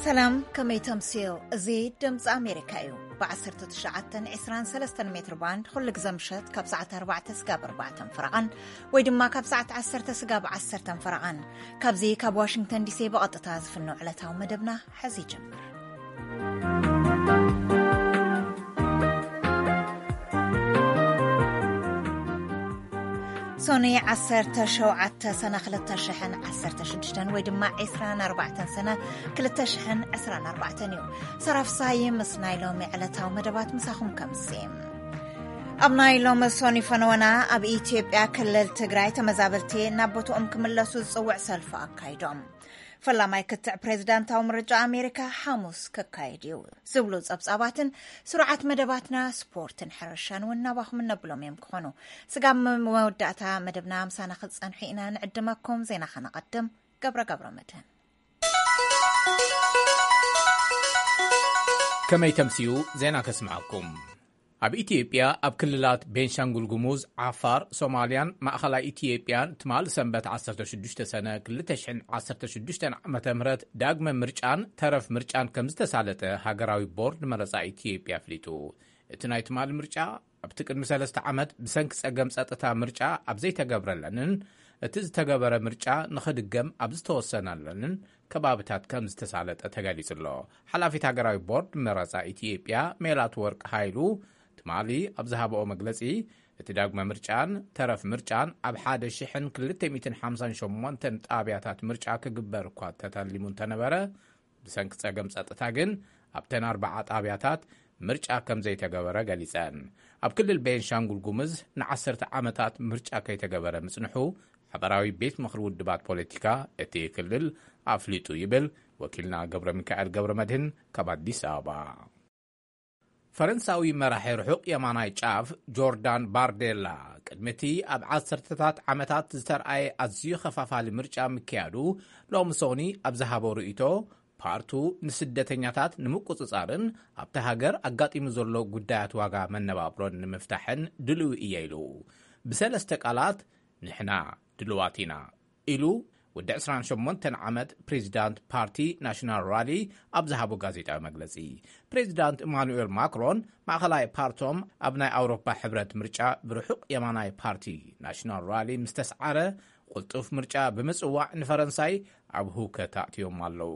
ሰላም፣ ከመይ ተምስዮ? እዚ ድምፂ ኣሜሪካ እዩ። ብ19፣ 23 ሜትር ባንድ ኩሉ ግዘ ምሸት ካብ ሰዓት ኣርባዕተ ስጋብ ኣርባዕተን ፈረቓን፣ ወይ ድማ ካብ ሰዓት ዓሰርተ ስጋብ ዓሰርተን ፈረቓን። ካብዚ ካብ ዋሽንግተን ዲሲ ብቐጥታ ዝፍኖ ዕለታዊ መደብና ሕዚ ይጀምር። ሶኒ ዓሰርተ ሸውዓተ ሰነ ክልተ ሽሕን ዓሰርተ ሽዱሽተን ወይ ድማ ዕስራን ኣርባዕተን ሰነ ክልተ ሽሕን ዕስራን ኣርባዕተን እዩ። ሰራፍሳይ ምስ ናይ ሎሚ ዕለታዊ መደባት ምሳኹም ከምሲ። ኣብ ናይ ሎሚ ሶኒ ፈነወና፣ ኣብ ኢትዮጵያ ክልል ትግራይ ተመዛበልቲ ናብ ቦትኦም ክምለሱ ዝጽውዕ ሰልፊ ኣካይዶም። ፈላማይ ክትዕ ፕሬዝዳንታዊ ምርጫ ኣሜሪካ ሓሙስ ክካየድ እዩ ዝብሉ ጸብጻባትን ስሩዓት መደባትና ስፖርትን ሕርሻን እውን ናባኹም እነብሎም እዮም ክኾኑ። ስጋብ መወዳእታ መደብና ምሳና ክትጸንሑ ኢና ንዕድመኩም። ዜና ከነቐድም። ገብረ ገብረ መድህን። ከመይ ተምስዩ? ዜና ከስምዓኩም። ኣብ ኢትዮጵያ ኣብ ክልላት ቤንሻንጉል ጉሙዝ፣ ዓፋር፣ ሶማልያን ማእኸላይ ኢትዮጵያን ትማል ሰንበት ዓሰርተ ሽዱሽተ ሰነ ክልተ ሽሕን ዓሰርተ ሽዱሽተን ዓመተ ምህረት ዳግመ ምርጫን ተረፍ ምርጫን ከም ዝተሳለጠ ሃገራዊ ቦርድ መረጻ ኢትዮጵያ ኣፍሊጡ። እቲ ናይ ትማል ምርጫ ኣብቲ ቅድሚ ሰለስተ ዓመት ብሰንኪ ጸገም ጸጥታ ምርጫ ኣብ ዘይተገብረለንን እቲ ዝተገበረ ምርጫ ንኽድገም ኣብ ዝተወሰነለንን ከባብታት ከም ዝተሳለጠ ተገሊጹ ኣሎ። ሓላፊት ሃገራዊ ቦርድ መረጻ ኢትዮጵያ ሜላት ወርቅ ሃይሉ ትማሊ ኣብ ዝሃበኦ መግለጺ፣ እቲ ዳግመ ምርጫን ተረፍ ምርጫን ኣብ ሓደ ሽሕን ክልተ ሚእትን ሓምሳን ሸሞንተን ጣብያታት ምርጫ ክግበር እኳ ተተሊሙ እንተነበረ፣ ብሰንኪ ጸገም ጸጥታ ግን ኣብተን ኣርባዓ ጣብያታት ምርጫ ከም ዘይተገበረ ገሊጸን። ኣብ ክልል ቤንሻንጉል ጉምዝ ንዓሰርተ ዓመታት ምርጫ ከይተገበረ ምጽንሑ ሓበራዊ ቤት ምኽሪ ውድባት ፖለቲካ እቲ ክልል ኣፍሊጡ ይብል ወኪልና ገብረ ሚካኤል ገብረ መድህን ካብ ኣዲስ ኣበባ። ፈረንሳዊ መራሒ ርሑቕ የማናይ ጫፍ ጆርዳን ባርዴላ፣ ቅድሚ እቲ ኣብ ዓሰርተታት ዓመታት ዝተርኣየ ኣዝዩ ኸፋፋሊ ምርጫ ምክያዱ፣ ሎሚ ሶኒ ኣብ ዝሃቦ ርእይቶ፣ ፓርቱ ንስደተኛታት ንምቁጽጻርን ኣብቲ ሃገር ኣጋጢሙ ዘሎ ጉዳያት ዋጋ መነባብሮን ንምፍታሕን ድልዊ እየ ኢሉ። ብሰለስተ ቃላት፣ ንሕና ድልዋት ኢና ኢሉ ወዲ ዕስራን ሸሞንተን ዓመት ፕሬዚዳንት ፓርቲ ናሽናል ራሊ ኣብ ዝሃቦ ጋዜጣዊ መግለጺ። ፕሬዚዳንት ኢማኑኤል ማክሮን ማእኸላይ ፓርቶም ኣብ ናይ ኣውሮፓ ሕብረት ምርጫ ብርሑቕ የማናይ ፓርቲ ናሽናል ራሊ ምስ ተስዓረ፣ ቅልጡፍ ምርጫ ብምጽዋዕ ንፈረንሳይ ኣብ ህውከት ኣእትዮም ኣለዉ።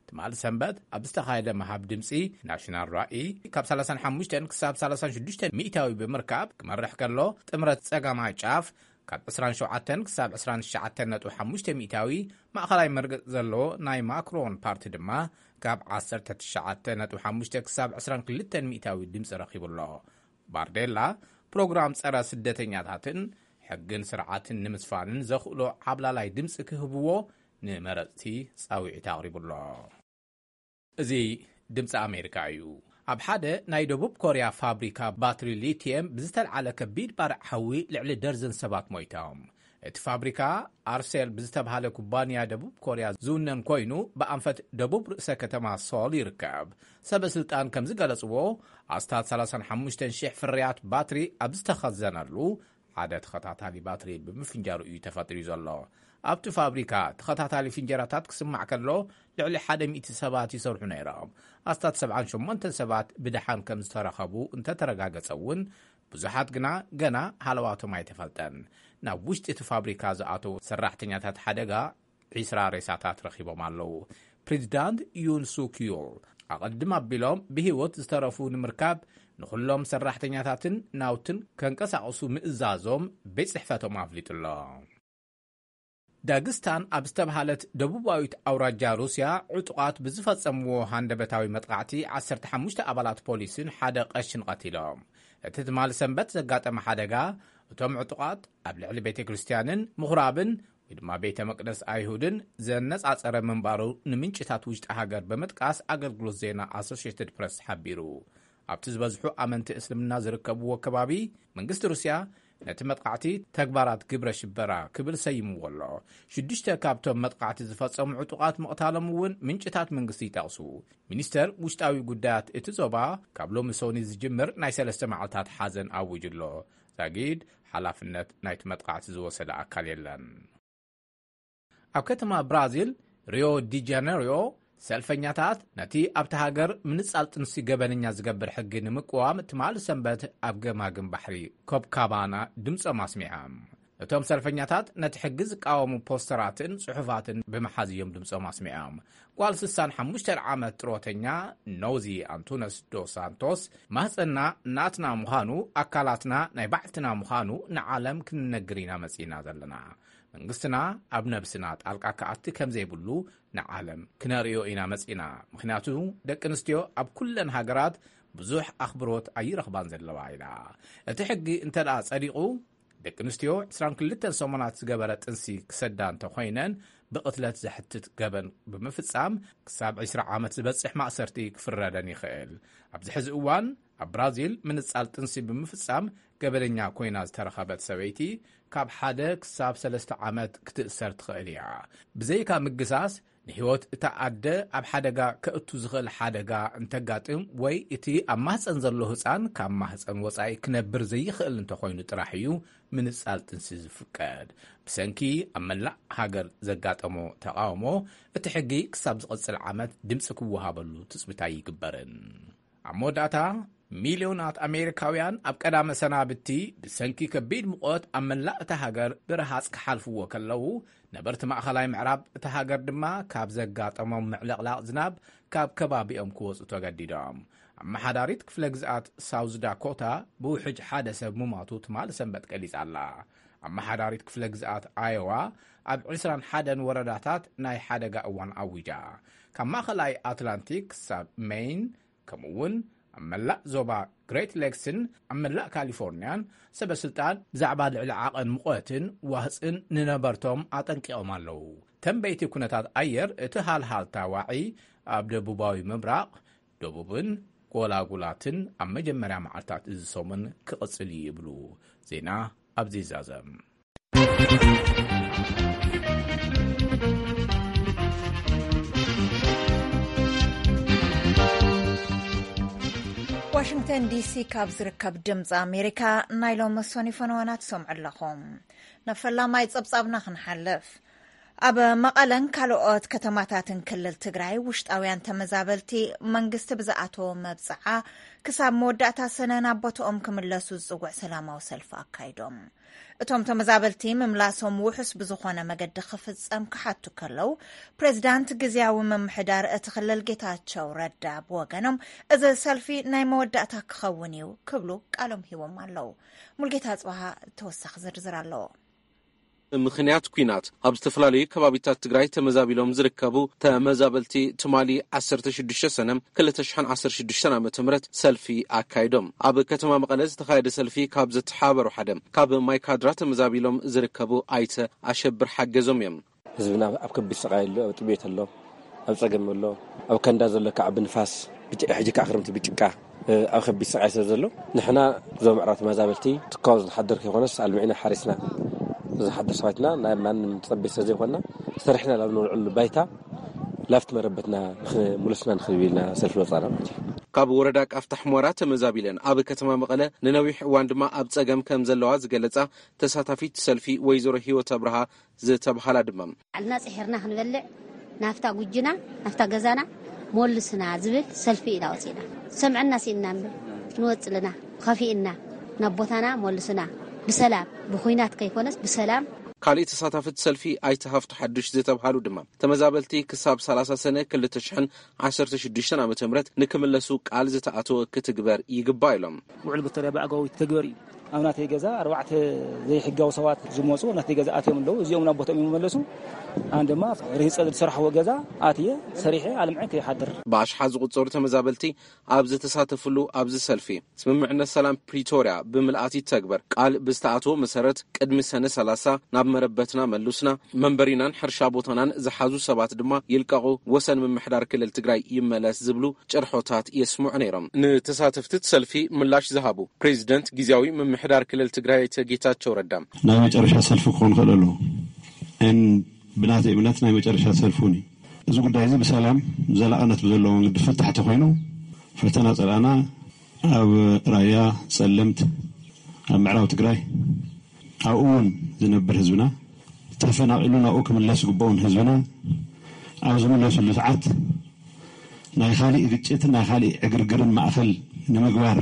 ትማሊ ሰንበት ኣብ ዝተኻየደ ምሃብ ድምጺ፣ ናሽናል ራኢ ካብ ሰላሳን ሓሙሽተን ክሳብ ሰላሳን ሽዱሽተን ሚእታዊ ብምርካብ ክመርሕ ከሎ፣ ጥምረት ጸጋማይ ጫፍ ካብ ዕስራን ሸውዓተን ክሳብ ዕስራን ትሽዓተን ነጥቢ ሓሙሽተ ሚእታዊ፣ ማእኸላይ መርገጽ ዘለዎ ናይ ማክሮን ፓርቲ ድማ ካብ ዓሰርተ ትሽዓተ ነጥቢ ሓሙሽተ ክሳብ ዕስራን ክልተን ሚእታዊ ድምጺ ረኺቡ ኣሎ። ባርዴላ፣ ፕሮግራም ጸረ ስደተኛታትን ሕግን ስርዓትን ንምስፋንን ዘኽእሎ ዓብላላይ ድምጺ ክህብዎ ንመረጽቲ ጻውዒት ኣቕሪቡ ኣሎ። እዚ ድምጺ ኣሜሪካ እዩ። ኣብ ሓደ ናይ ደቡብ ኮርያ ፋብሪካ ባትሪ ሊቲየም ብዝተልዓለ ከቢድ ባርዕ ሓዊ ልዕሊ ደርዘን ሰባት ሞይቶም። እቲ ፋብሪካ ኣርሴል ብዝተብሃለ ኩባንያ ደቡብ ኮርያ ዝውነን ኮይኑ፣ ብኣንፈት ደቡብ ርእሰ ከተማ ሶል ይርከብ። ሰበ ስልጣን ከም ዝገለጽዎ፣ ኣስታት ሰላሳን ሓሙሽተን ሽሕ ፍርያት ባትሪ ኣብ ዝተኸዘነሉ፣ ሓደ ተኸታታሊ ባትሪ ብምፍንጃሩ እዩ ተፈጢሩ ዘሎ። ኣብቲ ፋብሪካ ተኸታታሊ ፍንጀራታት ክስማዕ ከሎ፣ ልዕሊ ሓደ ሚእቲ ሰባት ይሰርሑ ነይሮም። ኣስታት ሰብዓን ሸሞንተን ሰባት ብደሓን ከም ዝተረኸቡ እንተተረጋገጸ እውን፣ ብዙሓት ግና ገና ሃለዋቶም ኣይተፈልጠን። ናብ ውሽጢ እቲ ፋብሪካ ዝኣተዉ ሰራሕተኛታት ሓደጋ ዒስራ ሬሳታት ረኺቦም ኣለዉ። ፕሬዚዳንት ዩን ሱክ ዮል ኣቐድም ኣቢሎም ብህይወት ዝተረፉ ንምርካብ ንኹሎም ሰራሕተኛታትን ናውትን ከንቀሳቕሱ ምእዛዞም ቤት ጽሕፈቶም ኣፍሊጡ ኣሎ። ዳግስታን ኣብ ዝተብሃለት ደቡባዊት ኣውራጃ ሩስያ፣ ዕጡቓት ብዝፈጸምዎ ሃንደበታዊ መጥቃዕቲ ዓሰርተ ሓሙሽተ ኣባላት ፖሊስን ሓደ ቀሽን ቀቲሎም። እቲ ትማሊ ሰንበት ዘጋጠመ ሓደጋ፣ እቶም ዕጡቓት ኣብ ልዕሊ ቤተ ክርስቲያንን ምኹራብን ወይ ድማ ቤተ መቅደስ ኣይሁድን ዘነጻጸረ ምንባሩ ንምንጭታት ውሽጢ ሃገር ብምጥቃስ ኣገልግሎት ዜና ኣሶሽየትድ ፕረስ ሓቢሩ። ኣብቲ ዝበዝሑ ኣመንቲ እስልምና ዝርከብዎ ከባቢ፣ መንግስቲ ሩስያ ነቲ መጥቃዕቲ ተግባራት ግብረ ሽበራ ክብል ሰይምዎ ኣሎ። ሽዱሽተ ካብቶም መጥቃዕቲ ዝፈጸሙ ዕጡቓት ምቕታሎም እውን ምንጭታት መንግስቲ ይጠቕሱ። ሚኒስተር ውሽጣዊ ጉዳያት እቲ ዞባ፣ ካብ ሎሚ ሶኒ ዝጅምር ናይ ሰለስተ መዓልታት ሓዘን ኣዊጁ ኣሎ። ዛጊድ ሓላፍነት ናይቲ መጥቃዕቲ ዝወሰደ ኣካል የለን። ኣብ ከተማ ብራዚል ሪዮ ዲ ጃነሪዮ፣ ሰልፈኛታት ነቲ ኣብቲ ሃገር ምንጻል ጥንሲ ገበነኛ ዝገብር ሕጊ ንምቅዋም ትማሊ ሰንበት ኣብ ገማግም ባሕሪ ኮፕካባና ድምጾም ኣስሚዖም። እቶም ሰልፈኛታት ነቲ ሕጊ ዝቃወሙ ፖስተራትን ጽሑፋትን ብምሓዝ እዮም ድምጾም ኣስሚዖም። ጓል ስሳን ሓሙሽተን ዓመት ጥሮተኛ ኖዚ ኣንቱነስ ዶ ሳንቶስ፣ ማህጸንና ናትና ምዃኑ፣ ኣካላትና ናይ ባዕልትና ምዃኑ ንዓለም ክንነግር ኢና መጺእና ዘለና። መንግስትና ኣብ ነብስና ጣልቃ ክኣቲ ከም ዘይብሉ ንዓለም ክነርእዮ ኢና መጺእና። ምኽንያቱ ደቂ ኣንስትዮ ኣብ ኩለን ሃገራት ብዙሕ ኣኽብሮት ኣይረኽባን ዘለዋ ኢላ። እቲ ሕጊ እንተ ደኣ ጸዲቑ፣ ደቂ ኣንስትዮ ዕስራን ክልተን ሰሙናት ዝገበረ ጥንሲ ክሰዳ እንተኾይነን፣ ብቕትለት ዘሕትት ገበን ብምፍጻም ክሳብ ዕስራ ዓመት ዝበጽሕ ማእሰርቲ ክፍረደን ይኽእል። ኣብዚ ሕዚ እዋን ኣብ ብራዚል ምንጻል ጥንሲ ብምፍጻም ገበነኛ ኮይና ዝተረኸበት ሰበይቲ ካብ ሓደ ክሳብ ሰለስተ ዓመት ክትእሰር ትኽእል እያ። ብዘይካ ምግሳስ፣ ንህይወት እታ ኣደ ኣብ ሓደጋ ከእቱ ዝኽእል ሓደጋ እንተጋጥም ወይ እቲ ኣብ ማህጸን ዘሎ ህጻን ካብ ማህጸን ወጻኢ ክነብር ዘይኽእል እንተኾይኑ ጥራሕ እዩ ምንጻል ጥንሲ ዝፍቀድ። ብሰንኪ ኣብ መላእ ሃገር ዘጋጠሞ ተቓውሞ፣ እቲ ሕጊ ክሳብ ዝቕጽል ዓመት ድምጺ ክወሃበሉ ትጽቢት ኣይግበርን። ኣብ መወዳእታ፣ ሚልዮናት ኣሜሪካውያን ኣብ ቀዳመ ሰናብቲ ብሰንኪ ከቢድ ሙቐት ኣብ መላእ እታ ሃገር ብረሃጽ ክሓልፍዎ ከለዉ፣ ነበርቲ ማእኸላይ ምዕራብ እታ ሃገር ድማ ካብ ዘጋጠሞም ምዕልቕላቕ ዝናብ ካብ ከባቢኦም ክወጹ ተገዲዶም። ኣመሓዳሪት ክፍለ ግዝኣት ሳውዝ ዳኮታ ብውሕጅ ሓደ ሰብ ምሟቱ ትማሊ ሰንበት ገሊጻ ኣላ። ኣመሓዳሪት ክፍለ ግዝኣት ኣዮዋ ኣብ ዕስራን ሓደን ወረዳታት ናይ ሓደጋ እዋን ኣዊጃ። ካብ ማእኸላይ ኣትላንቲክ ክሳብ ሜይን፣ ከምኡ እውን ኣብ መላእ ዞባ ግሬት ሌክስን ኣብ መላእ ካሊፎርኒያን ሰበ ስልጣን ብዛዕባ ልዕሊ ዓቐን ሙቐትን ዋህፅን ንነበርቶም ኣጠንቂቖም ኣለዉ። ተንበይቲ ኩነታት ኣየር እቲ ሃልሃልታ ዋዒ ኣብ ደቡባዊ ምብራቕ፣ ደቡብን ጎላጉላትን ኣብ መጀመርያ መዓልታት እዚ ሰሙን ክቕጽል እዩ ይብሉ። ዜና ኣብዚ ይዛዘም። ዋሽንግተን ዲሲ ካብ ዝርከብ ድምፂ ኣሜሪካ ናይ ሎሚ ሰኑይ ፈነወና ትሰምዑ ኣለኹም። ናብ ፈላማይ ጸብጻብና ክንሓልፍ። ኣብ መቐለን ካልኦት ከተማታትን ክልል ትግራይ ውሽጣውያን ተመዛበልቲ መንግስቲ ብዝኣተዎ መብጽዓ ክሳብ መወዳእታ ሰነ ናብ ቦትኦም ክምለሱ ዝጽውዕ ሰላማዊ ሰልፊ ኣካይዶም። እቶም ተመዛበልቲ ምምላሶም ውሑስ ብዝኾነ መገዲ ክፍጸም ክሓቱ ከለዉ፣ ፕሬዝዳንት ግዝያዊ ምምሕዳር እቲ ክልል ጌታቸው ረዳ ብወገኖም፣ እዚ ሰልፊ ናይ መወዳእታ ክኸውን እዩ ክብሉ ቃሎም ሂቦም ኣለዉ። ሙልጌታ ኣጽብሃ ተወሳኺ ዝርዝር ኣለዎ። ምኽንያት ኲናት ኣብ ዝተፈላለዩ ከባቢታት ትግራይ ተመዛቢሎም ዝርከቡ ተመዛበልቲ ትማሊ ዓሰርተ ሽዱሽተ ሰነ ክልተ ሽሕን ዓሰርተ ሽዱሽተን ዓመተ ምህረት ሰልፊ ኣካይዶም። ኣብ ከተማ መቐለ ዝተኻየደ ሰልፊ ካብ ዘተሓባበሩ ሓደ ካብ ማይካድራ ተመዛቢሎም ዝርከቡ ኣይተ ኣሸብር ሓገዞም እዮም። ህዝብና ኣብ ከቢድ ስቓይ ኣሎ፣ ኣብ ጥሜት ኣሎ፣ ኣብ ጸገም ኣሎ። ኣብ ከንዳ ዘሎ ከዓ ብንፋስ፣ ብጭ-፣ ሕጂ ከዓ ክረምቲ ብጭቃ፣ እ፣ ኣብ ከቢድ ስቓይ ስለ ዘሎ፣ ንሕና ዞባ ምዕራብ ተመዛበልቲ ትካው ዝንሓድር ከይኮነስ፣ ኣልሚዕና ሓሪስና ዝንሓድር ሰባትና፣ ናይ ማንም ጸቢት ስለ ዘይኮንና፣ ሰሪሕና ናብ ንውዕሉ ባይታ፣ ላፍቲ መረበትና ንኽ-፣ ሙለሱና ንኽብል ኢልና ሰልፊ ወጻና ማለት እዩ። ካብ ወረዳ ቃፍታ ሕሞራ ተመዛቢለን ኣብ ከተማ መቐለ ንነዊሕ እዋን ድማ ኣብ ጸገም ከም ዘለዋ ዝገለጻ ተሳታፊት ሰልፊ ወይዘሮ ህይወት ኣብርሃ ዝተብሃላ ድማ፣ ባዕልና ጽሒርና ክንበልዕ፣ ናፍታ ጉጅና፣ ናፍታ ገዛና ሞልስና ዝብል ሰልፊ ኢና ወጺእና። ሰምዐና ሲእና እምበር፣ ንወጽእ ኣለና፣ ከፊእና፣ ናብ ቦታና ሞልስና፣ ብሰላም፣ ብኹናት ከይኮነስ ብሰላም። ካልእ ተሳታፊት ሰልፊ ኣይተ ሃፍቱ ሓዱሽ ዝተብሃሉ ድማ፣ ተመዛበልቲ ክሳብ ሰላሳ ሰነ ክልተ ሽሕን ዓሰርተ ሽዱሽተን ዓመተ ምህረት ንክምለሱ ቃል ዝተኣተወ ክትግበር ይግባእ ኢሎም። ውዕል ፕሪቶርያ ብኣግባቡ ይተግበር እዩ። ኣብ ናተይ ገዛ ኣርባዕተ ዘይሕጋዊ ሰባት ዝመፁ ናተይ ገዛ ኣትዮም ኣለዉ። እዚኦም ናብ ቦታኦም ይመለሱ። ኣነ ድማ ርሂፀ ዝሰርሕዎ ገዛ ኣትየ ሰሪሐ ኣልምዐ ከይሓድር። ብኣሽሓት ዝቑጸሩ ተመዛበልቲ ኣብ ዝተሳተፍሉ ኣብዚ ሰልፊ፣ ስምምዕነት ሰላም ፕሪቶርያ ብምልኣት ይተግበር፣ ቃል ብዝተኣተወ መሰረት ቅድሚ ሰነ ሰላሳ ናብ መረበትና መሉስና፣ መንበሪናን ሕርሻ ቦታናን ዝሓዙ ሰባት ድማ ይልቀቑ፣ ወሰን ምምሕዳር ክልል ትግራይ ይመለስ ዝብሉ ጭርሖታት የስምዑ ነይሮም። ንተሳተፍቲ እቲ ሰልፊ ምላሽ ዝሃቡ ፕሬዚደንት ግዝያዊ ምምሕዳር ክልል ትግራይ ኣይተ ጌታቸው ረዳ፣ ናይ መጨረሻ ሰልፊ ክኾን ይኽእል ኣለዎ። እን ብናተይ እምነት ናይ መጨረሻ ሰልፊ እውን እዩ። እዚ ጉዳይ እዚ ብሰላም ዘላቕነት ብዘለዎ መንገዲ ፍታሕ ተኾይኑ፣ ፈተና ጸላእና ኣብ ራያ፣ ጸለምት፣ ኣብ ምዕራብ ትግራይ፣ ኣብኡ እውን ዝነብር ህዝብና፣ ተፈናቒሉ ናብኡ ክምለስ ዝግብኦን ህዝብና ኣብ ዝምለሱሉ ሰዓት ናይ ካሊእ ግጭትን ናይ ካሊእ ዕግርግርን ማእኸል ንምግባር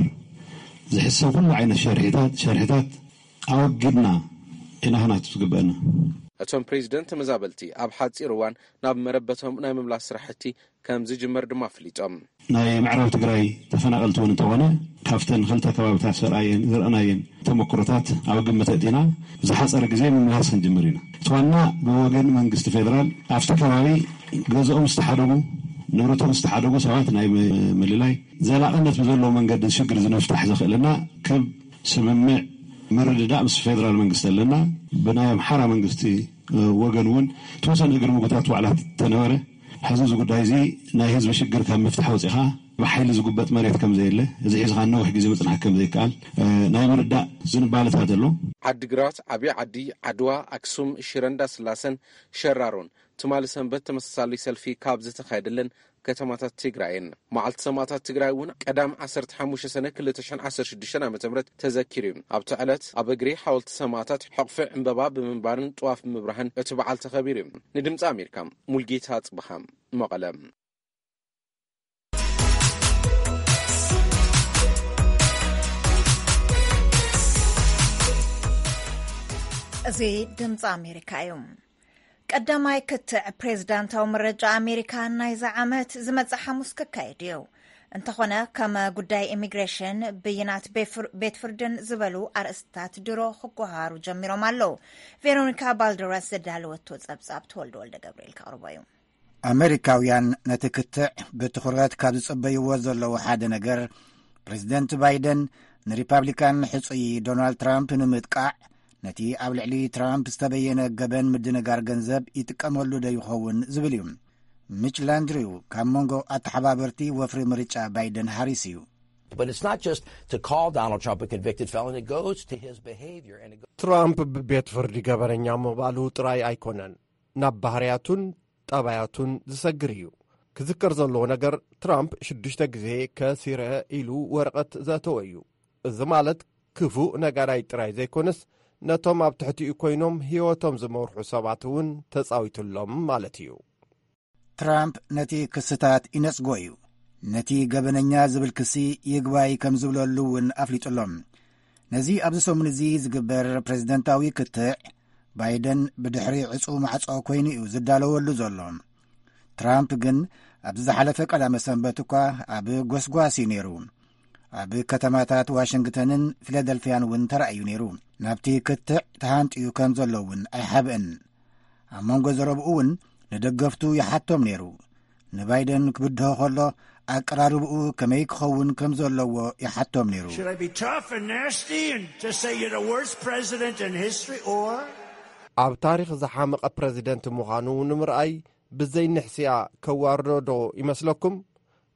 ዝሕሰብ ኩሉ ዓይነት ሸርሒታት ሸርሒታት ኣወጊድና ኢና ክናቱ ዝግበአና። እቶም ፕሬዚደንት ተመዛበልቲ ኣብ ሓፂር እዋን ናብ መረበቶም ናይ ምምላስ ስራሕቲ ከም ዝጅመር ድማ ኣፍሊጦም። ናይ ምዕራብ ትግራይ ተፈናቐልቲ እውን እንተኾነ ካብተን ክልተ ከባብታት ዘርኣየን ዘርኣናየን ተመክሮታት ኣብ ግምት ኣእቲና ብዝሓፀረ ግዜ ምምላስ ክንጅምር ኢና። እቲ ዋና ብወገን መንግስቲ ፌደራል ኣብቲ ከባቢ ገዝኦም ዝተሓደጉ ንብረቶም ዝተሓደጉ ሰባት ናይ ምልላይ ዘላቕነት ብዘለዎ መንገዲ ሽግር ዝንፍታሕ ዘኽእልና ከም ስምምዕ ምርድዳእ ምስ ፌደራል መንግስቲ ኣለና። ብናይ ኣምሓራ መንግስቲ ወገን እውን ተወሰነ እግሪ ምጉታት ዋዕላት ተነበረ። ሕዚ እዚ ጉዳይ እዚ ናይ ህዝቢ ሽግር ካብ ምፍታሕ ወፂኻ ብሓይሊ ዝጉበጥ መሬት ከም ዘየለ፣ እዚ ሒዝኻ ነዊሕ ግዜ ምፅናሕ ከም ዘይከኣል ናይ ምርዳእ ዝንባለታት ኣሎ። ዓዲግራት፣ ዓብዪ ዓዲ፣ ዓድዋ፣ ኣክሱም፣ ሽረ እንዳስላሰን ሸራሮን ትማሊ ሰንበት ተመሳሳሊ ሰልፊ ካብ ዝተኻየደለን ከተማታት ትግራይን። መዓልቲ ሰማእታት ትግራይ እውን ቀዳም ዓሰርተ ሓሙሽተ ሰነ ክልተ ሽሕን ዓሰርተ ሽዱሽተን ዓመተ ምህረት ተዘኪሩ እዩ። ኣብቲ ዕለት ኣብ እግሪ ሓወልቲ ሰማእታት ሕቕፊ ዕምበባ ብምንባርን ጥዋፍ ብምብራህን እቲ በዓል ተኸቢሩ እዩ። ንድምፂ ኣሜሪካ ሙልጌታ ጽብሃ መቐለ። እዚ ድምፂ ኣሜሪካ እዩ። ቀዳማይ ክትዕ ፕሬዝዳንታዊ ምርጫ ኣሜሪካ ናይዚ ዓመት ዝመጽእ ሓሙስ ክካየድ እዩ። እንተኾነ ከም ጉዳይ ኢሚግሬሽን፣ ብይናት ቤት ፍርድን ዝበሉ ኣርእስትታት ድሮ ክጓሃሩ ጀሚሮም ኣለዉ። ቬሮኒካ ባልደራስ ዘዳለወቶ ጸብጻብ ተወልደ ወልደ ገብርኤል ከቕርቦ እዩ። ኣመሪካውያን ነቲ ክትዕ ብትኹረት ካብ ዝጽበይዎ ዘለዉ ሓደ ነገር ፕሬዝደንት ባይደን ንሪፓብሊካን ሕጹይ ዶናልድ ትራምፕ ንምጥቃዕ ነቲ ኣብ ልዕሊ ትራምፕ ዝተበየነ ገበን ምድንጋር ገንዘብ ይጥቀመሉ ዶ ይኸውን ዝብል እዩ። ሚች ላንድሪው ካብ መንጎ ኣተሓባበርቲ ወፍሪ ምርጫ ባይደን ሃሪስ እዩ። But it's not just to call Donald Trump a convicted felon. It goes to his behavior and it goes ትራምፕ ብቤት ፍርዲ ገበነኛ ምባሉ ጥራይ ኣይኮነን፣ ናብ ባህርያቱን ጠባያቱን ዝሰግር እዩ። ክዝከር ዘለዎ ነገር ትራምፕ ሽዱሽተ ግዜ ከሲረ ኢሉ ወረቐት ዘእተወ እዩ። እዚ ማለት ክፉእ ነጋዳይ ጥራይ ዘይኮነስ ነቶም ኣብ ትሕቲኡ ኮይኖም ህይወቶም ዝመርሑ ሰባት እውን ተጻዊቱሎም ማለት እዩ። ትራምፕ ነቲ ክስታት ይነጽጎ እዩ። ነቲ ገበነኛ ዝብል ክሲ ይግባይ ከም ዝብለሉ እውን ኣፍሊጡሎም። ነዚ ኣብዚ ሰሙን እዚ ዝግበር ፕሬዝደንታዊ ክትዕ ባይደን ብድሕሪ ዕጹ ማዕጾ ኮይኑ እዩ ዝዳለወሉ ዘሎ። ትራምፕ ግን ኣብዚ ዝሓለፈ ቀዳመ ሰንበት እኳ ኣብ ጎስጓስ እዩ ነይሩ። ኣብ ከተማታት ዋሽንግተንን ፊላደልፊያን እውን ተራእዩ ነይሩ። ናብቲ ክትዕ ተሃንጥዩ ከም ዘሎ እውን ኣይሓብእን። ኣብ መንጎ ዘረብኡ እውን ንደገፍቱ ይሓቶም ነይሩ። ንባይደን ክብድሆ ከሎ ኣቀራርብኡ ከመይ ክኸውን ከም ዘለዎ ይሓቶም ነይሩ። Should I be tough and nasty and just say you're the worst president in history, or ኣብ ታሪኽ ዝሓመቐ ፕረዚደንት ምዃኑ ንምርኣይ ብዘይ ንሕስያ ከዋርዶ ዶ ይመስለኩም?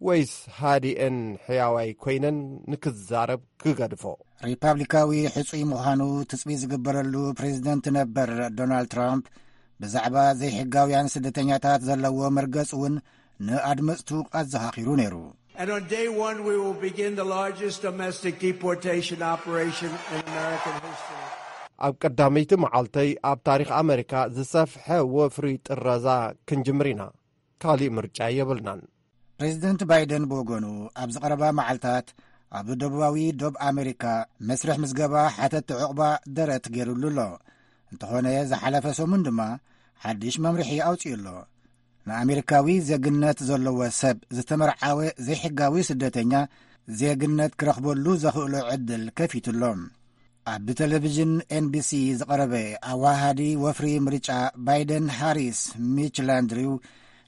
ወይስ ሃዲኤን ሕያዋይ ኮይነን ንክዛረብ ክገድፎ? ሪፓብሊካዊ ሕጹይ ምዃኑ ትጽቢት ዝግበረሉ ፕሬዚደንት ነበር ዶናልድ ትራምፕ ብዛዕባ ዘይሕጋውያን ስደተኛታት ዘለዎ መርገጽ እውን ንኣድመጽቱ ኣዘኻኺሩ ነይሩ። And on day one, we will begin the largest domestic deportation operation in American history. ኣብ ቀዳመይቲ መዓልተይ ኣብ ታሪኽ ኣመሪካ ዝሰፍሐ ወፍሪ ጥረዛ ክንጅምር ኢና። ካሊእ ምርጫ የብልናን። ፕሬዚደንት ባይደን ብወገኑ ኣብ ዝቐረባ መዓልታት ኣብ ደቡባዊ ዶብ ኣመሪካ መስርሕ ምዝገባ ሓተቲ ዕቑባ ደረት ገይሩሉ ኣሎ። እንተኾነ ዝሓለፈ ሰሙን ድማ ሓድሽ መምርሒ ኣውጺኡ ኣሎ። ንኣሜሪካዊ ዜግነት ዘለዎ ሰብ ዝተመርዓወ ዘይሕጋዊ ስደተኛ ዜግነት ክረኽበሉ ዘኽእሎ ዕድል ከፊቱ ኣሎ። ኣብ ብቴሌቪዥን ኤንቢሲ ዝቐረበ ኣዋሃዲ ወፍሪ ምርጫ ባይደን ሃሪስ ሚች ላንድሪው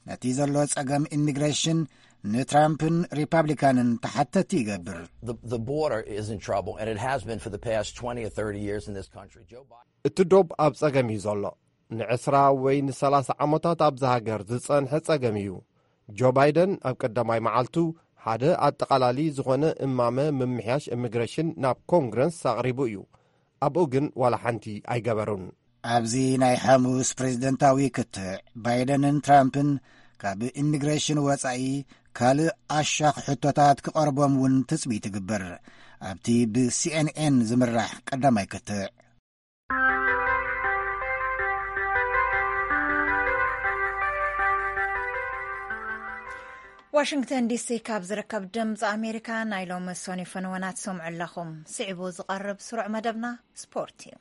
ነቲ ዘሎ ጸገም ኢሚግሬሽን ንትራምፕን ሪፓብሊካንን ተሓተቲ ይገብር። The, the border is in trouble, and it has been for the past twenty or thirty years in this country. Joe Biden. እቲ ዶብ ኣብ ጸገም እዩ ዘሎ። ንዕስራ ወይ ንሰላሳ ዓመታት ኣብዛ ሃገር ዝጸንሐ ጸገም እዩ። ጆ ባይደን ኣብ ቀዳማይ መዓልቱ ሓደ ኣጠቓላሊ ዝኾነ እማመ ምምሕያሽ ኢሚግሬሽን ናብ ኮንግረስ ኣቕሪቡ እዩ። ኣብኡ ግን ዋላ ሓንቲ ኣይገበሩን። ኣብዚ ናይ ሓሙስ ፕሬዝደንታዊ ክትዕ ባይደንን ትራምፕን ካብ ኢሚግሬሽን ወጻኢ ካልእ ኣሻኽ ሕቶታት ክቐርቦም እውን ትጽቢት ይግበር። ኣብቲ ብሲኤንኤን ዝምራሕ ቀዳማይ ክትዕ ዋሽንግተን ዲሲ ካብ ዝርከብ ድምፂ ኣሜሪካ ናይ ሎሚ ሰኑይ ፈነወና ትሰምዑ ኣለኹም። ስዒቡ ዝቐርብ ስሩዕ መደብና ስፖርት እዩ።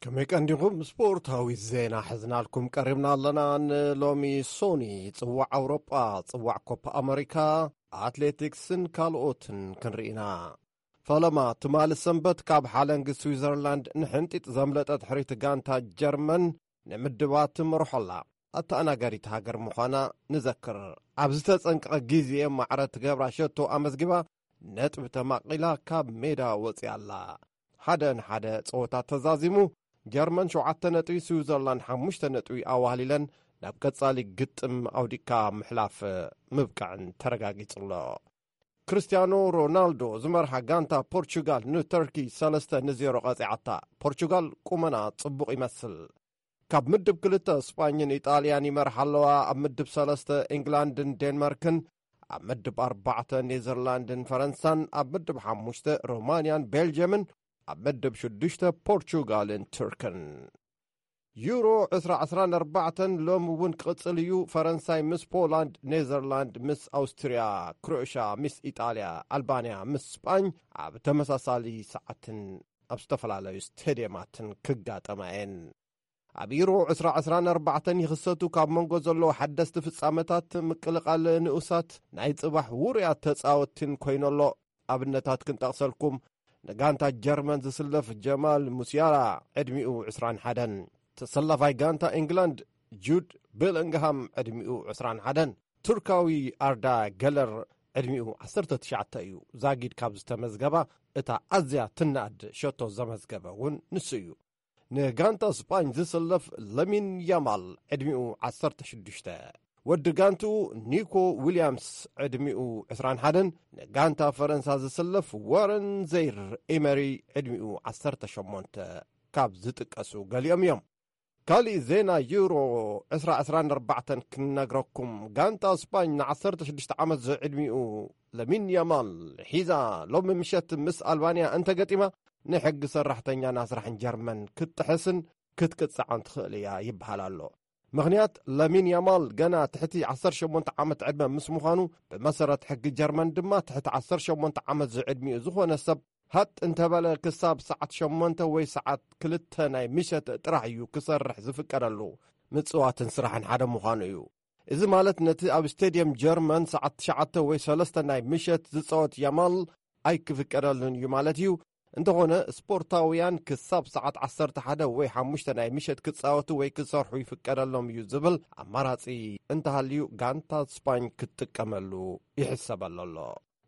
ከመይ ቀንዲኹም? ስፖርታዊ ዜና ሒዝናልኩም ቀሪብና ኣለና። ንሎሚ ሶኒ፣ ጽዋዕ ኣውሮጳ፣ ጽዋዕ ኮፓ ኣመሪካ፣ ኣትሌቲክስን ካልኦትን ክንርኢና። ፈለማ ትማሊ ሰንበት ካብ ሓለንጊ ስዊዘርላንድ ንሕንጢጥ ዘምለጠት ሕሪት ጋንታ ጀርመን ንምድባ ትመርሖ ኣላ። ኣተኣናጋዲት ሃገር ምዃና ንዘክር። ኣብ ዝተጸንቀቐ ግዜ ማዕረ ትገብራ ሸቶ ኣመዝጊባ ነጥቢ ተማቒላ ካብ ሜዳ ወጺኣ ኣላ። ሓደ ንሓደ ጸወታ ተዛዚሙ፣ ጀርመን ሸውዓተ ነጥቢ፣ ስዊዘርላንድ ሓሙሽተ ነጥቢ ኣዋህሊለን ናብ ቀጻሊ ግጥም ኣውዲቕካ ምሕላፍ ምብቃዕን ተረጋጊጹ ኣሎ። ክርስቲያኖ ሮናልዶ ዝመርሓ ጋንታ ፖርቹጋል ንተርኪ ሰለስተ ንዜሮ ቀጺዓታ። ፖርቹጋል ቁመና ጽቡቕ ይመስል። ካብ ምድብ ክልተ ስጳኝን ኢጣልያን ይመርሓ ኣለዋ። ኣብ ምድብ ሰለስተ ኢንግላንድን ዴንማርክን፣ ኣብ ምድብ ኣርባዕተ ኔዘርላንድን ፈረንሳን፣ ኣብ ምድብ ሓሙሽተ ሮማንያን ቤልጅየምን፣ ኣብ ምድብ ሽዱሽተ ፖርቹጋልን ቱርክን። ዩሮ ዕስራ ዕስራን ኣርባዕተን ሎም እውን ክቕጽል እዩ። ፈረንሳይ ምስ ፖላንድ፣ ኔዘርላንድ ምስ ኣውስትርያ፣ ክሮኤሽያ ምስ ኢጣልያ፣ ኣልባንያ ምስ ስጳኝ ኣብ ተመሳሳሊ ሰዓትን ኣብ ዝተፈላለዩ ስቴድየማትን ክጋጠማ እየን። ኣብ ዩሮ ዕስራ ዕስራን ኣርባዕተን ይኽሰቱ ካብ መንጎ ዘለዉ ሓደስቲ ፍጻመታት ምቅልቓል ንኡሳት ናይ ጽባሕ ውሩያት ተጻወትቲን ኮይኑ ኣሎ። ኣብነታት ክንጠቕሰልኩም፣ ንጋንታ ጀርመን ዝስለፍ ጀማል ሙሲያላ ዕድሚኡ ዕስራን ሓደን፣ ተሰላፋይ ጋንታ ኢንግላንድ ጁድ ቤሊንግሃም ዕድሚኡ ዕስራን ሓደን፣ ቱርካዊ ኣርዳ ገለር ዕድሚኡ ዓሰርተ ትሽዓተ እዩ። ዛጊድ ካብ ዝተመዝገባ እታ ኣዝያ ትናኣድ ሸቶ ዘመዝገበ እውን ንሱ እዩ። ንጋንታ ስጳኝ ዝስለፍ ለሚን ያማል ዕድሚኡ ዓሰርተ ሽዱሽተ፣ ወዲ ጋንትኡ ኒኮ ዊልያምስ ዕድሚኡ ዕስራን ሓደን፣ ንጋንታ ፈረንሳ ዝስለፍ ዋረን ዘይር ኤመሪ ዕድሚኡ ዓሰርተ ሸሞንተ ካብ ዝጥቀሱ ገሊኦም እዮም። ካሊእ ዜና ዩሮ ዕስራ ዕስራን ኣርባዕተን ክንነግረኩም፣ ጋንታ ስጳኝ ንዓሰርተ ሽዱሽተ ዓመት ዝዕድሚኡ ለሚን ያማል ሒዛ ሎሚ ምሸት ምስ ኣልባንያ እንተገጢማ፣ ንሕጊ ሰራሕተኛን ኣስራሕን ጀርመን ክትጥሕስን ክትቅጻዕን ትኽእል እያ ይበሃል ኣሎ። ምኽንያት፣ ለሚን ያማል ገና ትሕቲ ዓሰርተ ሸሞንተ ዓመት ዕድመ ምስ ምዃኑ፣ ብመሰረት ሕጊ ጀርመን ድማ ትሕቲ ዓሰርተ ሸሞንተ ዓመት ዝዕድሚኡ ዝኾነ ሰብ ሃጥ እንተበለ ክሳብ ሰዓት ሸሞንተ ወይ ሰዓት ክልተ ናይ ምሸት ጥራሕ እዩ ክሰርሕ ዝፍቀደሉ። ምጽዋትን ስራሕን ሓደ ምዃኑ እዩ። እዚ ማለት ነቲ ኣብ ስቴድየም ጀርመን ሰዓት ትሽዓተ ወይ ሰለስተ ናይ ምሸት ዝጻወት ያማል ኣይክፍቀደሉን እዩ ማለት እዩ። እንተኾነ ስፖርታውያን ክሳብ ሰዓት ዓሰርተ ሓደ ወይ ሓሙሽተ ናይ ምሸት ክጻወቱ ወይ ክሰርሑ ይፍቀደሎም እዩ ዝብል ኣማራጺ እንተሃልዩ ጋንታ ስፓኝ ክትጥቀመሉ ይሕሰበሉ ኣሎ።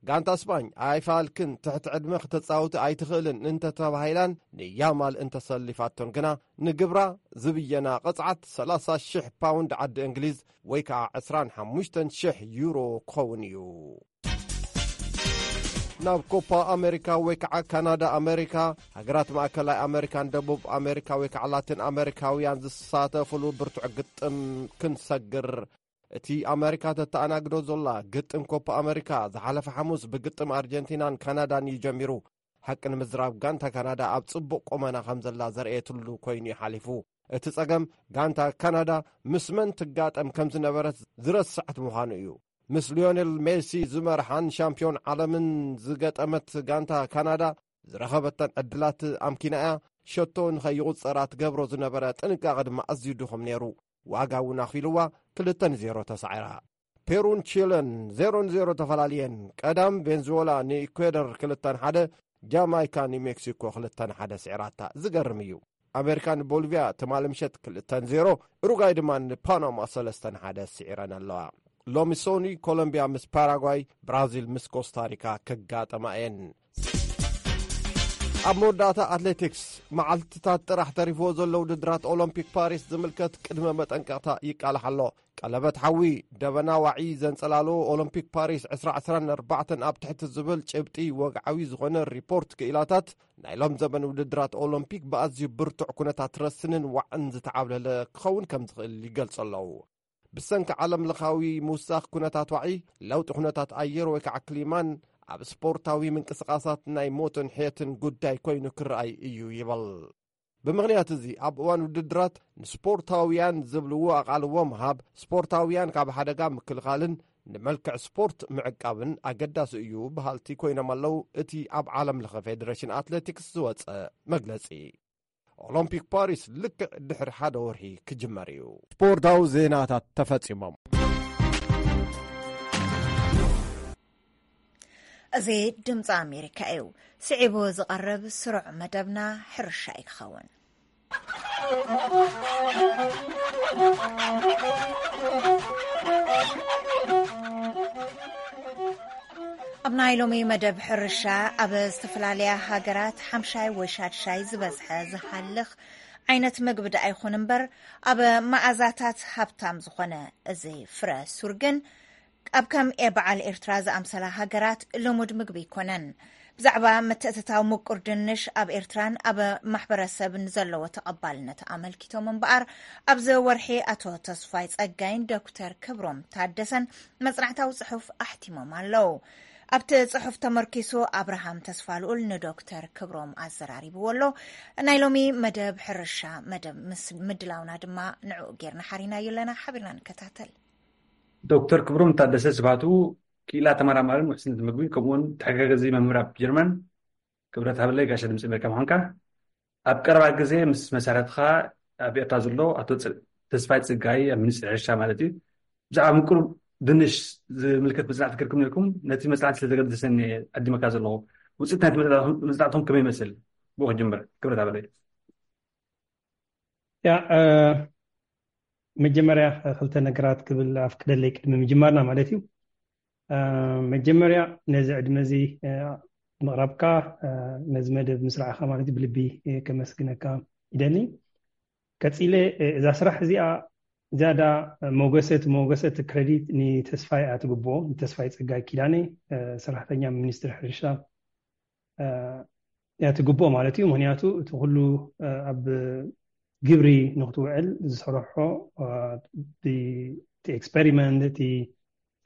ጋንታ ስፓኝ ኣይፋልክን ትሕቲ ዕድመ ክተጻውቲ ኣይትኽእልን እንተተባሂላን ንያማል እንተሰሊፋቶን ግና ንግብራ ዝብየና ቅጽዓት ሰላሳ ሽሕ ፓውንድ ዓዲ እንግሊዝ ወይ ከዓ ዕስራን ሓሙሽተን ሽሕ ዩሮ ክኸውን እዩ። ናብ ኮፓ ኣሜሪካ ወይ ከዓ ካናዳ ኣሜሪካ፣ ሃገራት ማእከላይ ኣሜሪካን ደቡብ ኣሜሪካ ወይ ከዓ ላቲን ኣሜሪካውያን ዝሳተፍሉ ብርቱዕ ግጥም ክንሰግር። እቲ ኣሜሪካ ተተኣናግዶ ዘላ ግጥም ኮፓ ኣሜሪካ ዝሓለፈ ሓሙስ ብግጥም ኣርጀንቲናን ካናዳን እዩ ጀሚሩ። ሓቂ ንምዝራብ ጋንታ ካናዳ ኣብ ጽቡቕ ቁመና ከም ዘላ ዘርእየትሉ ኮይኑ እዩ ሓሊፉ። እቲ ጸገም ጋንታ ካናዳ ምስ መን ትጋጠም ከም ዝነበረት ዝረስዐት ምዃኑ እዩ። ምስ ሊዮኔል ሜሲ ዝመርሓን ሻምፒዮን ዓለምን ዝገጠመት ጋንታ ካናዳ ዝረኸበተን ዕድላት ኣምኪና እያ። ሸቶ ንኸይቑጸራ ትገብሮ ዝነበረ ጥንቃቐ ድማ ኣዝዩ ድኹም ነይሩ። ዋጋ እውን ኣኽፊልዋ ክልተ ንዜሮ ተሳዒራ። ፔሩን ቺለን ዜሮ ንዜሮ ተፈላልየን። ቀዳም ቬንዙዌላ ንኢኳዶር ክልተ ንሓደ፣ ጃማይካ ንሜክሲኮ ክልተ ንሓደ ስዒራታ። ዝገርም እዩ። ኣሜሪካ ንቦሊቪያ ትማሊ ምሸት ክልተ ንዜሮ፣ ኡሩጋይ ድማ ንፓናማ ሰለስተ ንሓደ ስዒረን ኣለዋ። ሎሚ ሶኒ ኮሎምቢያ ምስ ፓራጓይ፣ ብራዚል ምስ ኮስታሪካ ክጋጠማ እየን። ኣብ መወዳእታ ኣትሌቲክስ፣ መዓልትታት ጥራሕ ተሪፍዎ ዘሎ ውድድራት ኦሎምፒክ ፓሪስ ዝምልከት ቅድመ መጠንቀቕታ ይቃላሕ ኣሎ። ቀለበት ሓዊ፣ ደበና ዋዒ ዘንጸላሎ ኦሎምፒክ ፓሪስ ዕስራ ዕስራን ኣርባዕተን ኣብ ትሕቲ ዝብል ጭብጢ ወግዓዊ ዝኾነ ሪፖርት ክኢላታት፣ ናይ ሎም ዘበን ውድድራት ኦሎምፒክ ብኣዝዩ ብርቱዕ ኩነታት ረስንን ዋዕን ዝተዓብለለ ክኸውን ከም ዝኽእል ይገልጹ ኣለዉ። ብሰንኪ ዓለም ለኻዊ ምውሳኽ ኩነታት ዋዒ፣ ለውጢ ኩነታት ኣየር ወይ ከዓ ክሊማን ኣብ ስፖርታዊ ምንቅስቓሳት ናይ ሞትን ሕየትን ጉዳይ ኮይኑ ክረኣይ እዩ ይብል። ብምኽንያት እዚ ኣብ እዋን ውድድራት ንስፖርታውያን ዝብልዎ ኣቓልቦ ምሃብ፣ ስፖርታውያን ካብ ሓደጋ ምክልኻልን ንመልክዕ ስፖርት ምዕቃብን ኣገዳሲ እዩ በሃልቲ ኮይኖም ኣለዉ። እቲ ኣብ ዓለም ለኸ ፌደሬሽን ኣትሌቲክስ ዝወፀ መግለፂ። ኦሎምፒክ ፓሪስ ልክዕ ድሕሪ ሓደ ወርሒ ክጅመር እዩ። ስፖርታዊ ዜናታት ተፈጺሞም። እዚ ድምፂ ኣሜሪካ እዩ። ስዒቡ ዝቐርብ ስሩዕ መደብና ሕርሻ እዩ ክኸውን። ኣብ ናይ ሎሚ መደብ ሕርሻ፣ ኣብ ዝተፈላለያ ሃገራት ሓምሻይ ወይ ሻድሻይ ዝበዝሐ ዝሃልኽ ዓይነት ምግቢ ደኣ ይኹን እምበር፣ ኣብ መኣዛታት ሃብታም ዝኾነ እዚ ፍረ ሱር ግን ኣብ ከም ኤ በዓል ኤርትራ ዝኣምሰላ ሃገራት ልሙድ ምግቢ ኣይኮነን። ብዛዕባ ምትእትታው ምቁር ድንሽ ኣብ ኤርትራን ኣብ ማሕበረሰብን ዘለዎ ተቐባልነት ኣመልኪቶም እምበኣር፣ ኣብዚ ወርሒ ኣቶ ተስፋይ ጸጋይን ዶክተር ክብሮም ታደሰን መጽናዕታዊ ጽሑፍ ኣሕቲሞም ኣለዉ። ኣብቲ ጽሑፍ ተመርኪሱ ኣብርሃም ተስፋልኡል ንዶክተር ክብሮም ኣዘራሪብዎ ኣሎ። ናይ ሎሚ መደብ ሕርሻ መደብ ምስ ምድላውና ድማ ንዕኡ ጌርና ሓሪናዮ ኣለና። ሓቢርና ንከታተል። ዶክተር ክብሮም ታደሰ ስብሃቱ፣ ክኢላ ተመራማርን ውሕስነት ምግቢ ከምኡውን ተሓጋጋዚ መምህር ኣብ ጀርመን። ክብረት ሃበለይ ጋሻ ድምፂ ኣሜሪካ ምዃንካ። ኣብ ቀረባ ግዜ ምስ መሳርሕትኻ ኣብ ኤርትራ ዘሎ ኣቶ ፅ- ተስፋይ ፅጋይ ኣብ ሚኒስትሪ ሕርሻ ማለት እዩ ብዛዕባ ምቁር ድንሽ ዝምልከት መፅናዕቲ ክርኩም ነርኩም። ነቲ መፅናዕቲ ስለ ዘገደሰኒ ዕድመካ ዘለኹ ውፅኢት ናይቲ መፅናዕትኹም ከመይ ይመስል? ብኡ ክጅምር። ክብረት ሃበለይ። ያ መጀመርያ ክልተ ነገራት ክብል ኣፍቅደለይ ቅድሚ ምጅማርና ማለት እዩ። መጀመርያ ነዚ ዕድመ እዚ ምቕራብካ፣ ነዚ መደብ ምስራዕኻ ማለት እዩ ብልቢ ከመስግነካ ይደሊ። ቀፂለ እዛ ስራሕ እዚኣ ዝያዳ ሞገሰ እቲ ሞገሰ እቲ ክረዲት ንተስፋይ ኣትግብኦ ንተስፋይ ፀጋይ ኪዳነ ሰራሕተኛ ሚኒስትሪ ሕርሻ እያ ትግብኦ ማለት እዩ። ምክንያቱ እቲ ኩሉ ኣብ ግብሪ ንክትውዕል ዝሰርሖ እቲ ኤክስፐሪመንት እቲ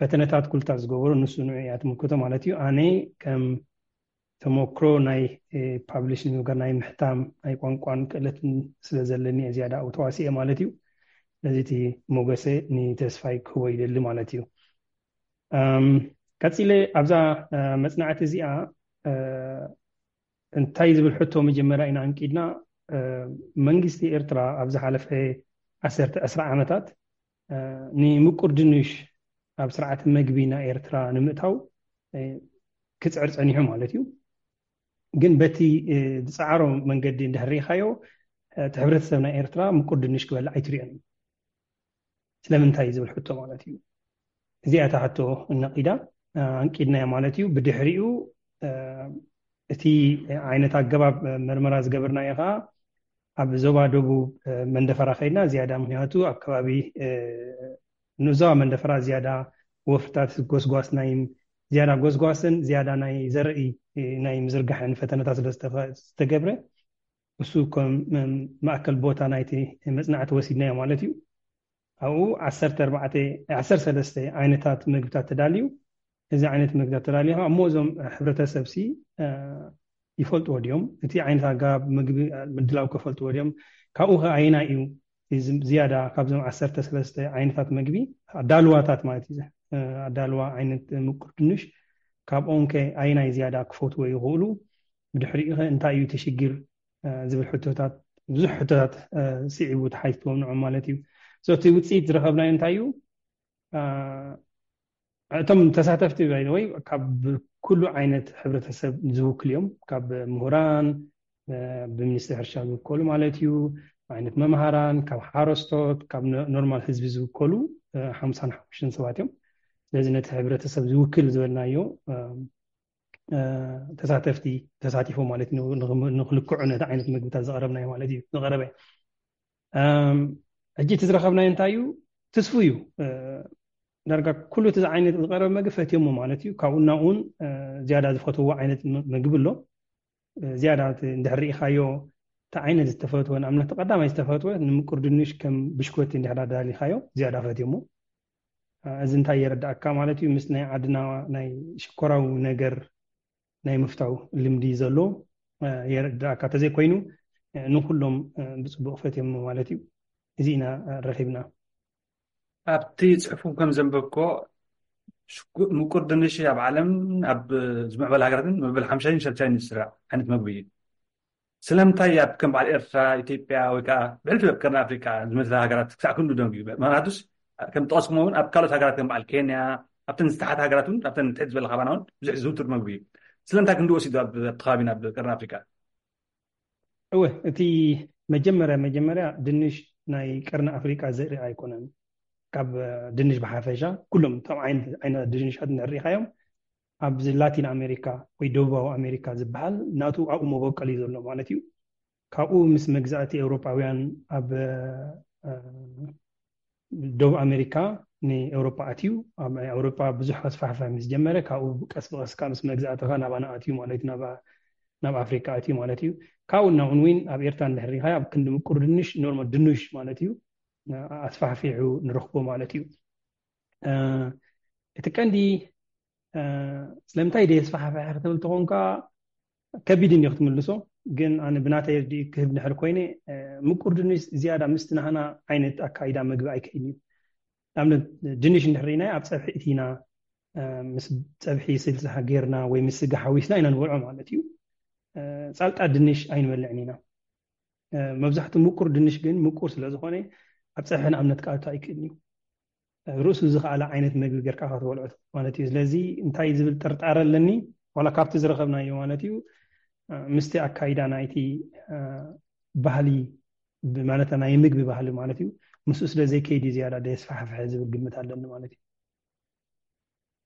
ፈተነታት ኩልታት ዝገበሩ ንሱ ንዑ እያ ትምልክቶ ማለት እዩ። ኣነ ከም ተመክሮ ናይ ፓብሊሽ ንምግባር ናይ ምሕታም ናይ ቋንቋን ክእለትን ስለ ዘለኒ እየ ዝያዳ ኣብኡ ተዋሲኤ ማለት እዩ። ስለዚ እቲ ሞገሰ ንተስፋይ ክህቦ ይደሊ ማለት እዩ። ቀፂለ ኣብዛ መፅናዕቲ እዚኣ እንታይ ዝብል ሕቶ መጀመርያ ኢና ኣንቂድና። መንግስቲ ኤርትራ ኣብ ዝሓለፈ ዓሰርተ ዕስራ ዓመታት ንምቁር ድንሽ ኣብ ስርዓተ መግቢ ናይ ኤርትራ ንምእታው ክፅዕር ፀኒሑ ማለት እዩ። ግን በቲ ዝፀዓሮ መንገዲ እንድሕር ርኢኻዮ እቲ ሕብረተሰብ ናይ ኤርትራ ምቁር ድንሽ ክበልዕ ኣይትሪኦን እዩ። ስለምንታይ ዝብል ሕቶ ማለት እዩ። እዚኣ እታ ሕቶ እነቂዳ ኣንቂድናያ ማለት እዩ። ብድሕሪኡ እቲ ዓይነት ኣገባብ መርመራ ዝገበርናዮ ከዓ ኣብ ዞባ ደቡብ መንደፈራ ከይድና ዝያዳ ምክንያቱ ኣብ ከባቢ ንዞባ መንደፈራ ዝያዳ ወፍርታት ጎስጓስ ናይ ዝያዳ ጎስጓስን ዝያዳ ናይ ዘርኢ ናይ ምዝርጋሕን ፈተነታት ስለ ዝተገብረ እሱ ከም ማእከል ቦታ ናይቲ መፅናዕቲ ወሲድናዮ ማለት እዩ። ኣብኡ ዓሰርተ ኣርባዕተ ዓሰርተ ሰለስተ ዓይነታት ምግብታት ተዳልዩ። እዚ ዓይነት ምግብታት ተዳልዩ ኣብ ሞዞም ሕብረተሰብ ሲ ይፈልጥዎ ድዮም? እቲ ዓይነት ኣገባብ ምግቢ ምድላው ከፈልጥዎ ድዮም? ካብኡ ከ ኣየናይ እዩ ዝያዳ ካብዞም ዓሰርተ ሰለስተ ዓይነታት ምግቢ ኣዳልዋታት ማለት እዩ ኣዳልዋ ዓይነት ምቁር ድንሽ ካብኦም ከ ኣየናይ ዝያዳ ክፈትዎ ይኽእሉ? ብድሕሪኡ ከ እንታይ እዩ እቲ ሽግር ዝብል ሕቶታት ብዙሕ ሕቶታት ስዒቡ ተሓቲትዎም ንዖም ማለት እዩ። እቲ ውፅኢት ዝረኸብናዮ እንታይ እዩ? እቶም ተሳተፍቲ ወይ ካብ ኩሉ ዓይነት ሕብረተሰብ ዝውክል እዮም። ካብ ምሁራን ብሚኒስትሪ ሕርሻ ዝውከሉ ማለት እዩ፣ ዓይነት መምሃራን፣ ካብ ሓረስቶት፣ ካብ ኖርማል ህዝቢ ዝውከሉ ሓምሳን ሓሙሽተን ሰባት እዮም። ስለዚ ነቲ ሕብረተሰብ ዝውክል ዝበልናዮ ተሳተፍቲ ተሳቲፎም ማለት እዩ። ንክልክዑ ነቲ ዓይነት ምግብታት ዝቐረብናዮ ማለት እዩ ዝቐረበ። ሕጂ እቲ ዝረኸብናዮ እንታይ እዩ? ትስፉ እዩ። ዳርጋ ኩሉ እቲ ዓይነት ዝቐረበ መግቢ ፈትዮሞ ማለት እዩ። ካብኡ እናኡ እውን ዝያዳ ዝፈትዎ ዓይነት ምግቢ ኣሎ። ዝያዳ እንድሕር ርኢኻዮ እቲ ዓይነት ዝተፈትወ ንኣብነት ቀዳማይ ዝተፈትወ ንምቁር ድንሽ ከም ብሽኮቲ እንድሕር ኣዳሊኻዮ ዝያዳ ፈትዮሞ። እዚ እንታይ የረዳእካ ማለት እዩ? ምስ ናይ ዓድና ናይ ሽኮራዊ ነገር ናይ ምፍታው ልምዲ ዘሎ የረዳእካ። ተዘይኮይኑ ንኩሎም ብፅቡቅ ፈትዮም ማለት እዩ። እዚ ኢና ረኪብና። ኣብቲ ፅሑፍኩም ከም ዘንበብኮ ምቁር ድንሽ ኣብ ዓለም ኣብ ዝምዕበለ ሃገራትን መበል ሓምሻይን ሻድሻይን ዝስራዕ ዓይነት መግቢ እዩ። ስለምንታይ ኣብ ከም በዓል ኤርትራ፣ ኢትዮጵያ ወይ ከዓ ብሕልፊ ኣብ ቀርኒ ኣፍሪካ ዝመስለ ሃገራት ክሳዕ ክንዱ ደንጉዩ? ምክንያቱስ ከም ጠቀስኩሞ እውን ኣብ ካልኦት ሃገራት ከም በዓል ኬንያ፣ ኣብተን ዝተሓተ ሃገራት እውን ኣብተን ትሕት ዝበለ ካባና እውን ብዙሕ ዝውቱር መግቢ እዩ። ስለምንታይ ክንዱ ወሲዱ ኣብ ከባቢና ኣብ ቀርኒ ኣፍሪካ? እወ፣ እቲ መጀመርያ መጀመርያ ድንሽ ናይ ቀርኒ ኣፍሪቃ ዘርኢ ኣይኮነን። ካብ ድንሽ ብሓፈሻ ኩሎም እቶም ዓይነት ድንሻት እንሪኢኻዮም ኣብዚ ላቲን ኣሜሪካ ወይ ደቡባዊ ኣሜሪካ ዝበሃል ናቱ ኣብኡ መበቀል እዩ ዘሎ ማለት እዩ። ካብኡ ምስ መግዛእቲ ኤውሮጳውያን ኣብ ደቡብ ኣሜሪካ ንኤውሮጳ ኣትዩ። ኣብ ኤውሮጳ ብዙሕ ከስፋሕፋ ምስ ጀመረ ካብኡ ቀስ ብቀስ ካብ ምስ መግዛእትኻ ናባና ኣትዩ ማለት እዩ። ናብ ኣፍሪካ ኣትዩ ማለት እዩ። ካብኡ እናውን ዊን ኣብ ኤርትራ እንድሕር ሪኢኻ ኣብ ክንዲ ምቁር ድንሽ ኖርማል ድንሽ ማለት እዩ ኣስፋሕፊሑ ንረኽቦ ማለት እዩ። እቲ ቀንዲ ስለምንታይ ደየስፋሕፍሐ ክትብል ተኾንካ ከቢድ እንዲ ክትምልሶ፣ ግን ኣነ ብናተይ ርድኢ ክህብ ድሕር ኮይነ ምቁር ድንሽ ዝያዳ ምስቲ ናህና ዓይነት ኣካይዳ መግቢ ኣይክእል እዩ። ንኣብነት ድንሽ እንድሕር ርኢናዮ ኣብ ፀብሒ እቲና ምስ ፀብሒ ስልሲ ጌርና ወይ ምስ ስጋ ሓዊስና ኢና ንበልዖ ማለት እዩ። ፃልጣ ድንሽ ኣይንበልዕን ኢና። መብዛሕትኡ ምቁር ድንሽ ግን ምቁር ስለዝኾነ ኣብ ፀብሒ ንኣብነት ክኣቱ ኣይክእልን እዩ። ርእሱ ዝኸኣለ ዓይነት መግቢ ጌርካ ክትበልዖ ማለት እዩ። ስለዚ እንታይ ዝብል ጥርጣረ ኣለኒ፣ ዋላ ካብቲ ዝረኸብናዮ ማለት እዩ ምስቲ ኣካይዳ ናይቲ ባህሊ ማለት ናይ ምግቢ ባህሊ ማለት እዩ ምስኡ ስለ ዘይከይድ እዩ ዝያዳ ደየስፋሕፍሐ ዝብል ግምት ኣለኒ ማለት እዩ።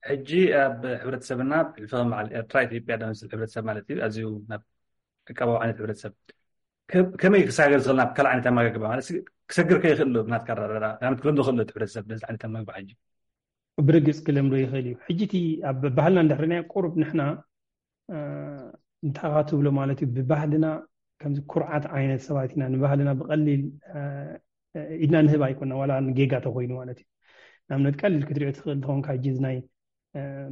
ሕጂ ኣብ ሕብረተሰብና ብሕልፊ ከም በዓል ኤርትራ፣ ኢትዮጵያ ዝኣመሰለ ሕብረተሰብ ማለት እዩ ኣዝዩ ናብ ዕቃባዊ ዓይነት ሕብረተሰብ ከመይ ክሰጋገር ዝኽእል ናብ ካልእ ዓይነት ኣመጋግባ ማለት ክሰግር ከይኽእል ዶ ብናትካ ኣረዳድኣ ክለምዶ ክእል ዶ እቲ ሕብረተሰብ ነዚ ዓይነት ኣመጋግባ ሕጂ? ብርግፅ ክለምዶ ይኽእል እዩ። ሕጂ እቲ ኣብ ባህልና እንድሕር ርኢናዮ ቁሩብ ንሕና እንታይ ትብሎ ማለት እዩ ብባህልና ከምዚ ኩርዓት ዓይነት ሰባት ኢና። ንባህልና ብቐሊል ኢድና ንህብ ኣይኮና ዋላ ንጌጋ ተኮይኑ ማለት እዩ። ንኣብነት ቀሊል ክትሪኦ ትኽእል ተኾንካ ሕጂ ናይ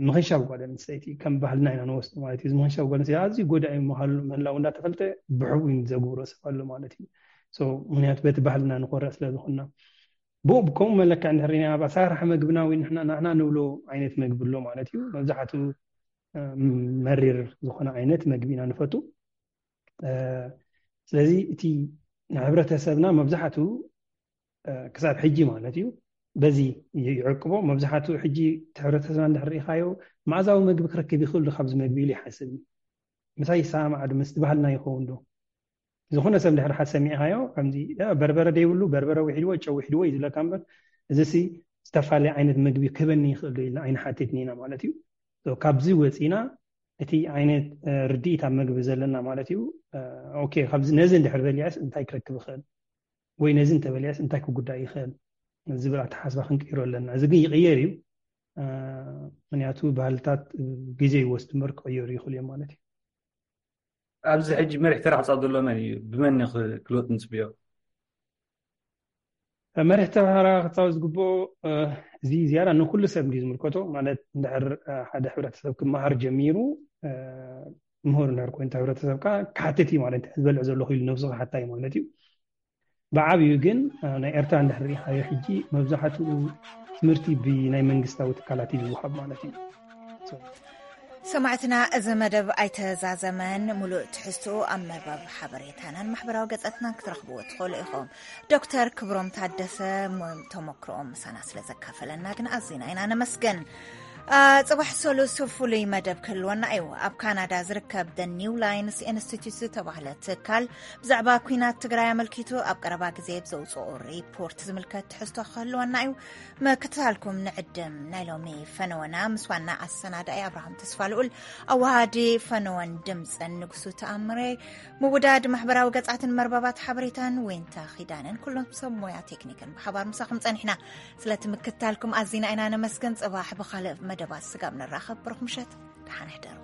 ምኽንሻብ ጓል ኣንስተይቲ ከም ባህልና ኢና ንወስዶ ማለት እዩ። ምኽንሻብ ጓል ኣንስተይቲ ኣዝዩ ጎዳኢ ምህላው እንዳተፈልጠ ብሕቡ ዘግብሮ ሰብ ኣሎ ማለት እዩ። ምክንያቱ በቲ ባህልና ንኮርዕ ስለዝኮና ብኡ ብከምኡ መለክዕ እንድሕር ርኢና ኣብ ኣሰራርሓ መግብና ወይ ንሕና ንሕና ንብሎ ዓይነት መግቢ ኣሎ ማለት እዩ። መብዛሕትኡ መሪር ዝኾነ ዓይነት መግቢ ኢና ንፈቱ። ስለዚ እቲ ንሕብረተሰብና መብዛሕትኡ ክሳብ ሕጂ ማለት እዩ በዚ ይዕቅቦ። መብዛሕትኡ ሕጂ እቲ ሕብረተሰብና እንድሕር ርኢኻዮ መኣዛዊ መግቢ ክረክብ ይኽእል ዶ ካብዚ መግቢ ኢሉ ይሓስብ እዩ። ምሳይ ይሰማማዕ ዶ? ምስቲ ባህልና ይኸውን ዶ? ዝኾነ ሰብ እንድሕር ሓሰብ ሰሚዕኻዮ ከምዚ በርበረ ደይብሉ በርበረ ውሒድዎ ጨው ውሒድዎ እዩ ዝብለካ እምበር እዚ ሲ ዝተፈላለየ ዓይነት ምግቢ ክህበኒ ይኽእል ዶ ኢልና ኣይንሓትትን ኢና ማለት እዩ። ካብዚ ወፂና እቲ ዓይነት ርድኢት ኣብ ምግቢ ዘለና ማለት እዩ። ኦኬ ካብዚ ነዚ እንድሕር በሊዐስ እንታይ ክረክብ ይኽእል ወይ ነዚ እንተበሊዐስ እንታይ ክጉዳእ ይኽእል ዝብል ኣተሓስባ ክንቅይሮ ኣለና። እዚ ግን ይቕየር እዩ። ምክንያቱ ባህልታት ግዜ ይወስድ እምበር ክቕየሩ ይኽእሉ እዮም ማለት እዩ። ኣብዚ ሕጂ መሪሕ ተራ ክፃወት ዘሎ መን እዩ? ብመን ክልወጥ ንፅብዮ? መሪሕ ተራ ክፃወት ዝግብኦ እዚ ዝያዳ ንኩሉ ሰብ እንዲ ዝምልከቶ ማለት እንድሕር ሓደ ሕብረተሰብ ክመሃር ጀሚሩ ምሁር እንድሕር ኮይኑ ሕብረተሰብካ ክሓትት እዩ ማለት ዝበልዕ ዘለኹ ኢሉ ነብሱ ክሓታ እዩ ማለት እዩ። ብዓብዩ ግን ናይ ኤርትራ እንድሕር ርኢኻዮ ሕጂ መብዛሕትኡ ትምህርቲ ብናይ መንግስታዊ ትካላት እዩ ዝወሃብ ማለት እዩ። ሰማዕትና፣ እዚ መደብ ኣይተዛዘመን። ሙሉእ ትሕዝትኡ ኣብ መርበብ ሓበሬታናን ማሕበራዊ ገጻትናን ክትረኽብዎ ትኽእሉ ኢኹም። ዶክተር ክብሮም ታደሰ ተመክሮኦም ምሳና ስለ ዘካፈለና ግን ኣዚና ኢና ነመስግን። ጽባሕ ሰሉስ ፍሉይ መደብ ክህልወና እዩ። ኣብ ካናዳ ዝርከብ The New Lines Institute ዝተባህለ ትካል ብዛዕባ ኲናት ትግራይ ኣመልኪቱ ኣብ ቀረባ ግዜ ብዘውፅኦ ሪፖርት ዝምልከት ትሕዝቶ ክህልወና እዩ። ምክትታልኩም ንዕድም። ናይ ሎሚ ፈነወና ምስ ዋና ኣሰናዳኢ ኣብርሃም ተስፋልኡል፣ ኣዋሃዲ ፈነወን ድምፅን ንጉሱ ተኣምረ፣ ምውዳድ ማሕበራዊ ገፃትን መርበባት ሓበሬታን ዊንታ ኪዳነን ኩሎም ሰብ ሞያ ቴክኒክን ብሓባር ምሳኹም ፀኒሕና። ስለቲ ምክትታልኩም ኣዚና ኢና ነመስገን። ፅባሕ ብካልእ መደባት ስጋብ ንራኸብ ብሩኽ ምሸት፣ ደሓን ሕደሩ።